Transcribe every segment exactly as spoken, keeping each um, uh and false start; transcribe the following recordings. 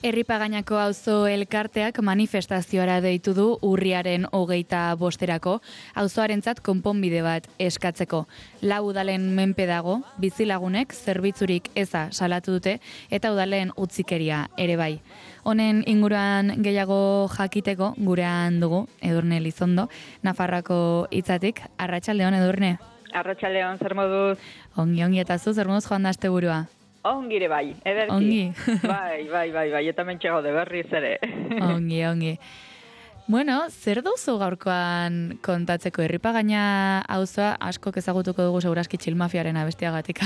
Erripagainako auzo elkarteak manifestazioara deitu du urriaren hogeita bosterako, auzoarentzat konponbide bat eskatzeko. Lau udalen menpe dago, bizilagunek zerbitzurik eza salatu dute eta udalen utzikeria ere bai. Honen inguruan gehiago jakiteko gurean dugu, Edurne Elizondo, Nafarroako hitzatik. Arratsaldeon, Edurne. Arratsaldeon, zer moduz? Ongi, ongi, eta zu, zer moduz joan da asteburua? Ongire bai, ederki. Ongi. bai, bai, bai, bai, eta mentxe gaude berriz ere. ongi, ongi. Bueno, zer duzu gaurkoan kontatzeko? Erripagaina auzoa askok ezagutuko dugu seguraski txilmafiaren abestiagatik.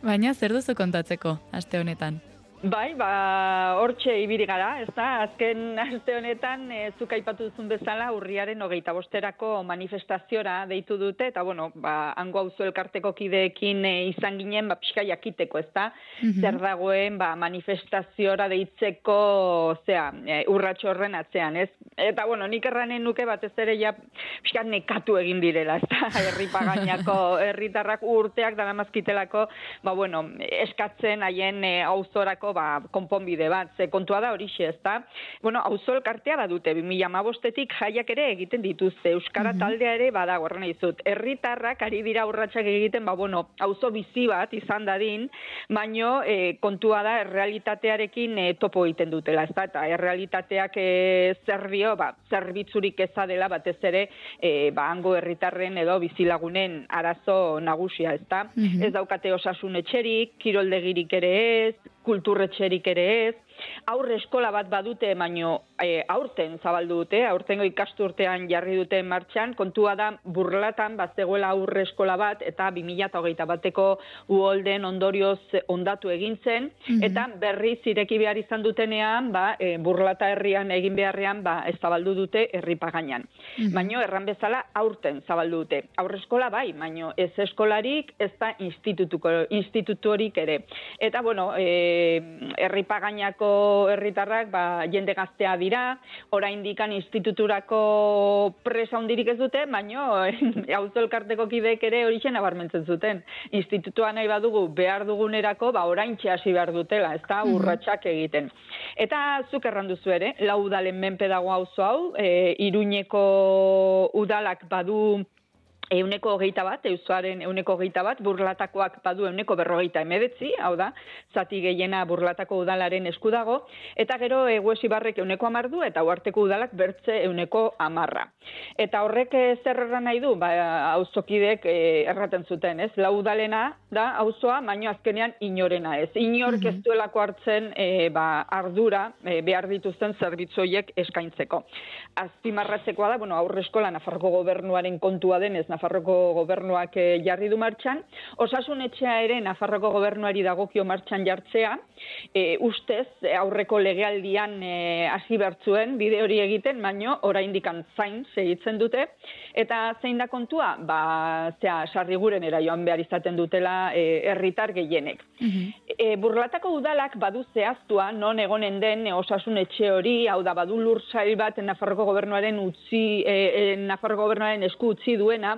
Baina zer duzu kontatzeko aste honetan? Bai, ba, hortxe ibili gara, ez da, azken aste honetan e, zuk aipatu duzun bezala urriaren hogeita bosterako manifestaziora deitu dute, eta bueno, ba, hango auzo elkarteko kideekin e, izan ginen, ba, pixka jakiteko, ez da, mm-hmm. zer dagoen, ba, manifestaziora deitzeko, zea, e, urratxo horren atzean, ez? Eta, bueno, nik erranen nuke batez ere ja pixka nekatu egin direla, ez da, Erripagainako herritarrak urteak daramazkitelako, ba, bueno, eskatzen haien e, auzorako ba, konponbide bat, ze kontua da horixe, ez da? Bueno, auzo elkartea badute, bi mila hamabostetik jaiak ere egiten dituzte, Euskara mm-hmm. taldea ere badago, horren izut. Herritarrak ari dira urratsak egiten, ba, bueno, auzo bizi bat izan dadin, baino e, kontua da errealitatearekin e, topo egiten dutela, ez da? Eta errealitateak e, zer dio, ba, zerbitzurik eza dela batez ere, e, ba, hango herritarren edo bizilagunen arazo nagusia, ez da? Mm-hmm. Ez daukate osasun etxerik, kiroldegirik ere ez, kulturretxerik ere ez, aurre eskola bat badute, baino e, aurten zabaldu dute, aurtengo ikasturtean jarri dute martxan, kontua da Burlatan bazegoela aurre eskola bat, eta bi mila hogeita bateko uholden ondorioz ondatu egin zen, mm-hmm. eta berriz ireki behar izan dutenean, ba, e, Burlata herrian egin beharrean, ba, ez zabaldu dute Erripagainan. Mm-hmm. Baino erran bezala aurten zabaldu dute. Aurre eskola bai, baino ez eskolarik, ez da instituturik ere. Eta, bueno, e, Erripagainako herritarrak ba, jende gaztea dira, oraindik instituturako presa hundirik ez dute, baino auzo elkarteko kideek ere horixe nabarmentzen zuten. Institutua nahi badugu behar dugunerako, ba, oraintxe hasi behar dutela, ez da, urratsak egiten. Eta zuk erranduzu ere, lau udalen menpe dago auzo hau, e, Iruñeko udalak badu euneko hogeita bat, euzoaren euneko hogeita bat, Burlatakoak badu euneko berrogeita emedetzi, hau da, zati gehiena Burlatako udalaren esku dago, eta gero Eguesibarrek euneko hamar du, eta Uharteko udalak bertze euneko hamarra. Eta horrek zer erran nahi du, ba, auzokideek erraten zuten, ez? Lau udalena da auzoa, baino azkenean inorena ez. Inork ez duelako hartzen e, ba, ardura e, behar dituzten zerbitzoiek eskaintzeko. Azpimarratzekoa da, bueno, aurre eskola Nafarroko gobernuaren kontua denez, Nafarroko gobernuak jarri du martxan, osasun etxea ere Nafarroko gobernuari dagokio martxan jartzea, e, ustez aurreko legealdian e, hasi bertzuen bide hori egiten, baino oraindikan zain segitzen dute, eta zein da kontua? Ba, zea, sarrigurenera joan behar izaten dutela e, herritar gehienek. Mm-hmm. E, Burlatako udalak badu zehaztua non egonen den e, osasun etxe hori, hau da badu lursail bat Nafarroko gobernuaren utzi, e, e, Nafarroko gobernuaren esku utzi duena,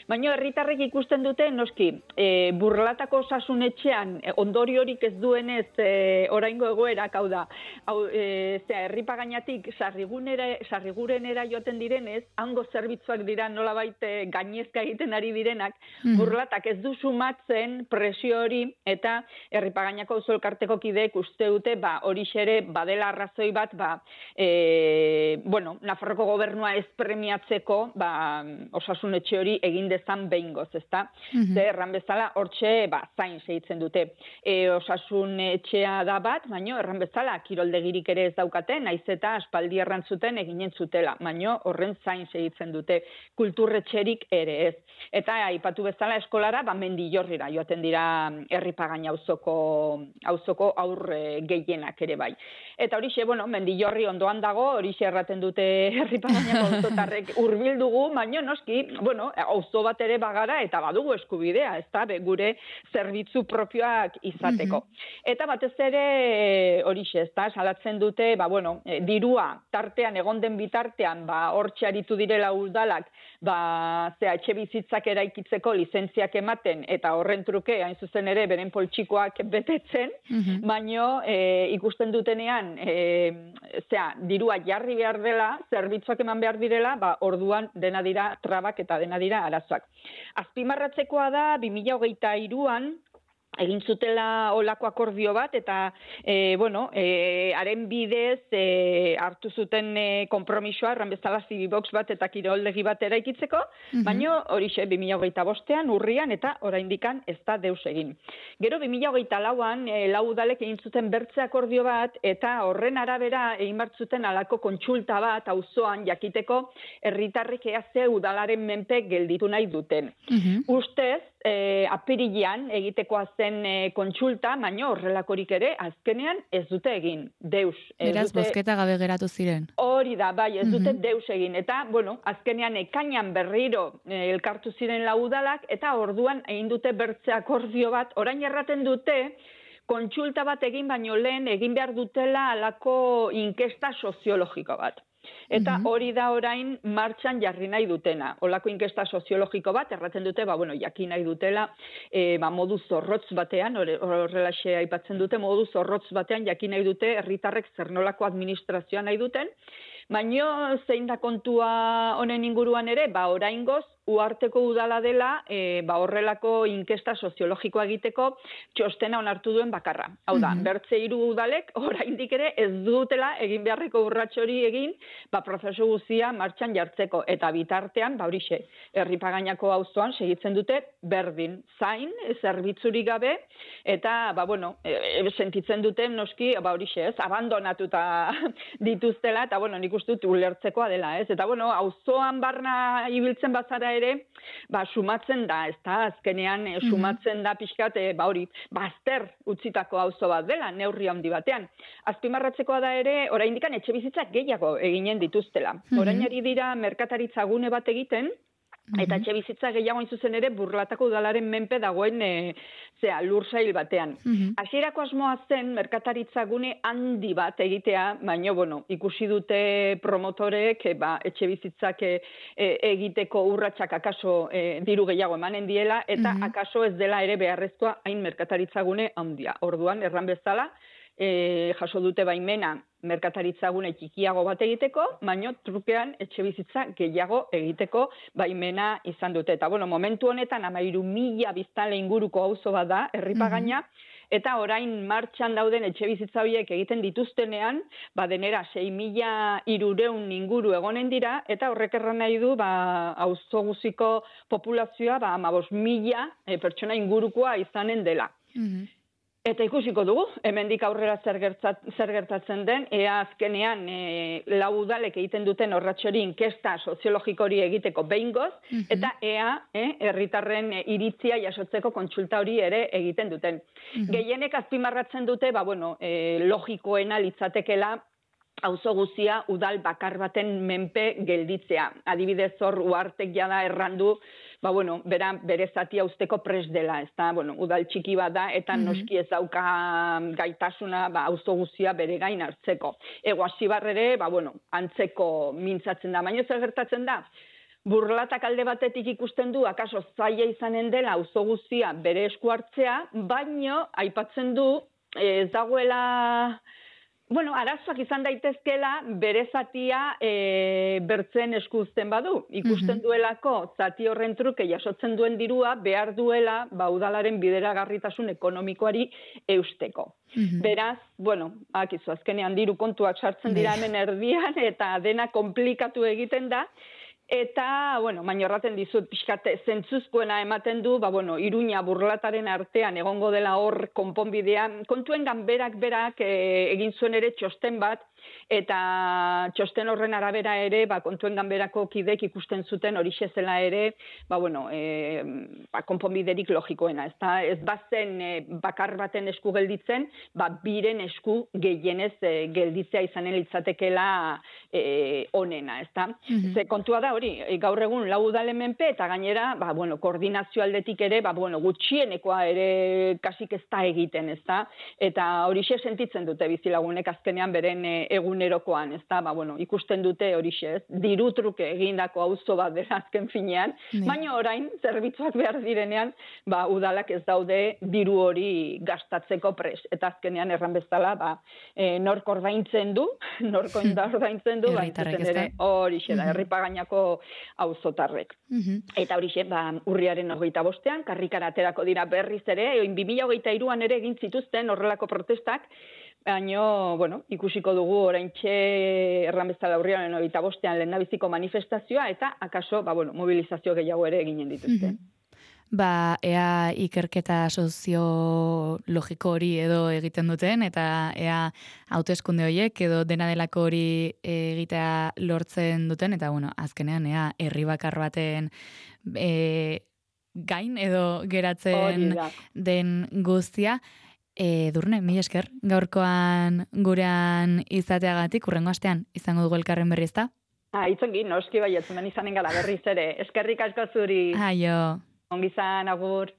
baina herritarrek ikusten dute, noski, e, Burlatako osasun etxean e, ondoriorik ez duenez e, oraingo egoerak, hau da, hau, e, zera, Erripagainatik sarrigurenera joaten direnez, hango zerbitzuak dira nolabait e, gainezka egiten ari direnak, mm. Burlatak ez du sumatzen presio hori, eta Erripagainako auzo elkarteko kideek uste dute, ba, horixe ere badela arrazoi bat, ba, e, bueno, Nafarroko gobernua ez premiatzeko, ba, osasun etxe hori egin dezan behingoz, ezta? Mm-hmm. Ze erran bezala, hortxe, ba, zain segitzen dute. E, osasun etxea da bat, baino, erran bezala, kiroldegirik ere ez daukate, naiz eta aspaldi errantzuten eginen zutela, baino, horren zain segitzen dute. Kulturretxerik ere ez. Eta, aipatu bezala, eskolara, ba, Mendillorrira joaten dira Erripagaina auzoko auzoko aurre gehienak ere bai. Eta horixe, bueno, Mendillorri ondoan dago, horixe erraten dute Erripagainako auzotarrek hurbil dugu, baino, noski, bueno, auzo bat ere bagara eta badugu eskubidea, ezta, gure zerbitzu propioak izateko. Mm-hmm. Eta batez ere horixe, ezta, salatzen dute, ba bueno, e, dirua tartean egon den bitartean, ba hortxe aritu direla udalak, ba zea etxe bizitzak eraikitzeko lizentziak ematen eta horren truke hain zuzen ere beren poltsikoak betetzen, mm-hmm. baino e, ikusten dutenean e, zea dirua jarri behar dela, zerbitzuak eman behar direla, ba orduan dena dira trabak eta dena dira arazoak. Azpimarratzekoa da bi mila hogeita hiruan egin zutela olako akordio bat, eta, e, bueno, e, haren bidez e, hartu zuten e, kompromisoa, erran bezala zibibox bat eta kiroldegi bat eraikitzeko, mm-hmm. baino horixe bi mila hogeita bostean, urrian, eta oraindikan ez da deus egin. Gero bi mila hogeita lauan, e, lau udalek egin zuten bertze akordio bat, eta horren arabera egin bartzuten alako kontsulta bat, auzoan jakiteko, herritarrik ea ze udalaren menpe gelditu nahi duten. Mm-hmm. Ustez, e, apirilean egitekoa zen e, kontsulta, baina horrelakorik ere azkenean ez dute egin, deus. Beraz, dute... bozketa gabe geratu ziren. Hori da, bai, ez dute mm-hmm. deus egin. Eta, bueno, azkenean ekainan berriro e, elkartu ziren laudalak, eta orduan egin dute bertze akordio bat, orain erraten dute, kontsulta bat egin baino lehen egin behar dutela alako inkesta soziologiko bat. Eta mm-hmm. hori da orain martxan jarri nahi dutena. Olako inkesta soziologiko bat, erraten dute, ba, bueno, jakin nahi dutela, e, ba, modu zorrotz batean, horrelaxe aipatzen dute, modu zorrotz batean jakin nahi dute, herritarrek zer nolako administrazioa nahi duten, baino zein da kontua honen inguruan ere, ba, oraingoz, uharteko udala dela, e, ba, horrelako inkesta soziologikoa egiteko txostena onartu duen bakarra. Hau da, mm-hmm. bertze hiru udalek oraindik ere ez dutela egin beharreko urrats hori egin, ba, prozesu guztia martxan jartzeko. Eta bitartean, ba, horixe, Herripagainako auzoan segitzen dute berdin, zain, zerbitzurik gabe, eta, ba, bueno, e, sentitzen dute noski, ba, horixe, ez, abandonatuta dituztela, eta, bueno, nik uste dut ulertzekoa dela, ez. Eta, bueno, auzoan barna ibiltzen bazara ere, ba, sumatzen da, ez da, azkenean e, sumatzen da pixkat, e, ba, hori, bazter utzitako auzo bat dela, neurri handi batean. Azpimarratzekoa da ere, oraindikan etxe bizitzak gehiago eginen dituztela. Orain ari dira merkataritza gune bat egiten, eta etxe bizitza gehiago hain zuzen ere burlatako udalaren menpe dagoen e, zea, lur sail batean. Hasierako asmoa zen merkataritza gune handi bat egitea, baina bueno, ikusi dute promotorek e, ba, etxe bizitzak e, e, egiteko urratsak akaso e, diru gehiago emanen diela, eta mm-hmm. akaso ez dela ere beharrezkoa hain merkataritza gune handia. Orduan, erran bezala, e, jaso dute baimena merkataritzagune txikiago bat egiteko, baino trukean etxe bizitza gehiago egiteko baimena izan dute. Eta, bueno, momentu honetan hamairu mila biztanle inguruko auzo bat da, Herripagaina, mm-hmm. eta orain martxan dauden etxe bizitza horiek egiten dituztenean, ba denera sei mila hirurehun inguru egonen dira, eta horrek erran nahi du, ba, auzo guziko populazioa, ba, hamabost mila e, pertsona ingurukoa izanen dela. Mm-hmm. Eta ikusiko dugu, hemendik aurrera zer, gertzat, zer gertatzen den, ea azkenean e, lau udalek egiten duten horratxori inkesta soziologiko hori egiteko behingoz, mm-hmm. eta ea herritarren e, iritzia jasotzeko kontsulta hori ere egiten duten. Mm-hmm. Gehienek azpimarratzen dute, ba, bueno, e, logikoena litzatekela, auzo guzia udal bakar baten menpe gelditzea. Adibidez hor uhartek jada errandu, ba, bueno, bera, bere zatia usteko pres dela, ez da, bueno, udal txiki bat da, eta mm-hmm. noski ez dauka gaitasuna, ba, auzo guzia bere gain hartzeko. Ego Asibar ere, ba, bueno, antzeko mintzatzen da, baina zer gertatzen da? Burlatak alde batetik ikusten du, akaso zaila izanen dela auzo guzia bere esku hartzea, baino aipatzen du, ez dagoela... Bueno, arazoak izan daitezkela bere zatia e, bertzen eskuzten badu. Ikusten mm-hmm. duelako zati horren truke jasotzen duen dirua behar duela ba, udalaren bideragarritasun ekonomikoari eusteko. Mm-hmm. Beraz, bueno, akizu, azkenean diru kontuak sartzen dira hemen erdian eta dena komplikatu egiten da. Eta, bueno, baina horraten dizut, pixkate, zentzuzkoena ematen du, ba, bueno, Iruña Burlataren artean egongo dela hor konponbidea. Kontuen ganberak berak e, egin zuen ere txosten bat, eta txosten horren arabera ere, ba, kontuen ganberako kidek ikusten zuten hori zela ere, ba, bueno, e, ba, konponbiderik logikoena, ez da, ez bazen e, bakar baten esku gelditzen, ba, biren esku gehienez e, gelditzea izanen litzatekela e, onena, ez da. Mm-hmm. Ze kontua da hori, e, gaur egun lau udalen menpe, eta gainera, ba, bueno, koordinazio aldetik ere, ba, bueno, gutxienekoa ere kasik ez da egiten, ez da, eta horixe sentitzen dute bizilagunek azkenean beren e, egunerokoan, ez da, ba, bueno, ikusten dute horixe, ez, diru truke egindako auzo bat dela azken finean, mm. baina orain, zerbitzuak behar direnean, ba, udalak ez daude diru hori gastatzeko pres, eta azkenean erran bezala, ba, e, nork ordaintzen du, nork ordaintzen du, ba, ere, horixe da, herripagainako auzotarrek. Mm-hmm. Eta horixe, ba, urriaren hogeita bostean, karrikara aterako dira berriz ere, oin bi mila hogeita hiruan ere egin zituzten horrelako protestak, baina, bueno, ikusiko dugu oraintxe erran bezala urriaren hogeita bostean lehendabiziko manifestazioa, eta akaso, ba, bueno, mobilizazio gehiago ere eginen dituzte. Mm-hmm. Ba, ea ikerketa soziologiko hori edo egiten duten, eta ea hauteskunde horiek edo dena delako hori egitea lortzen duten, eta bueno, azkenean ea herri bakar baten e, gain edo geratzen den guztia. E, Durne, mi esker, gaurkoan gurean izateagatik, urrengo astean izango dugu elkarren berri, ezta? Ah, itzongi, noski baietzumen izanen gala berriz ere. Eskerrik asko zuri. Aio. Ongizan, agur.